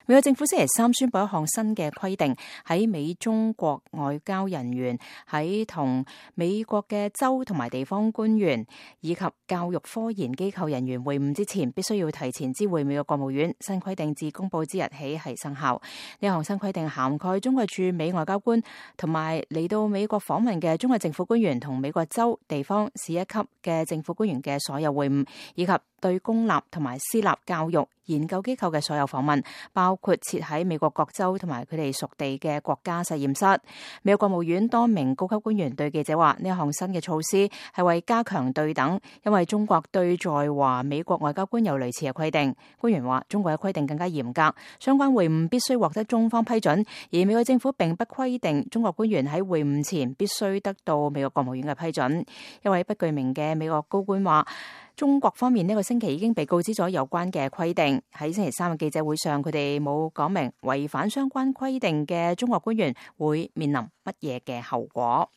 美國政府星期三宣布一項新嘅規定，喺美中國外交人員喺同美國嘅州同埋地方官員以及教育科研機構人員會晤之前，必須要提前知會美國國務院。新規定自公佈之日起係生效。呢項新規定涵蓋中國駐美外交官同埋嚟到美國訪問嘅中國政府官員同美國州、地方、市一級嘅政府官員嘅所有會晤，以及對公立同埋私立教育研究機構嘅所有訪問，包括設喺美國各州同埋佢哋屬地嘅國家實驗室。美國國務院多名高級官員對記者話：呢一項新嘅措施係為加強對等，因為中國對在華美國外交官有類似嘅規定。官員話：中國嘅規定更加嚴格，相關會晤必須獲得中方批准，而美國政府並不規定中國官員喺會晤前必須得到美國國務院嘅批准。一位不具名嘅美國高官話：中國方面呢個星期已經被告知咗有關嘅規定。喺星期三嘅記者會上，佢哋冇講明違反相關規定嘅中國官員會面臨乜嘢嘅後果。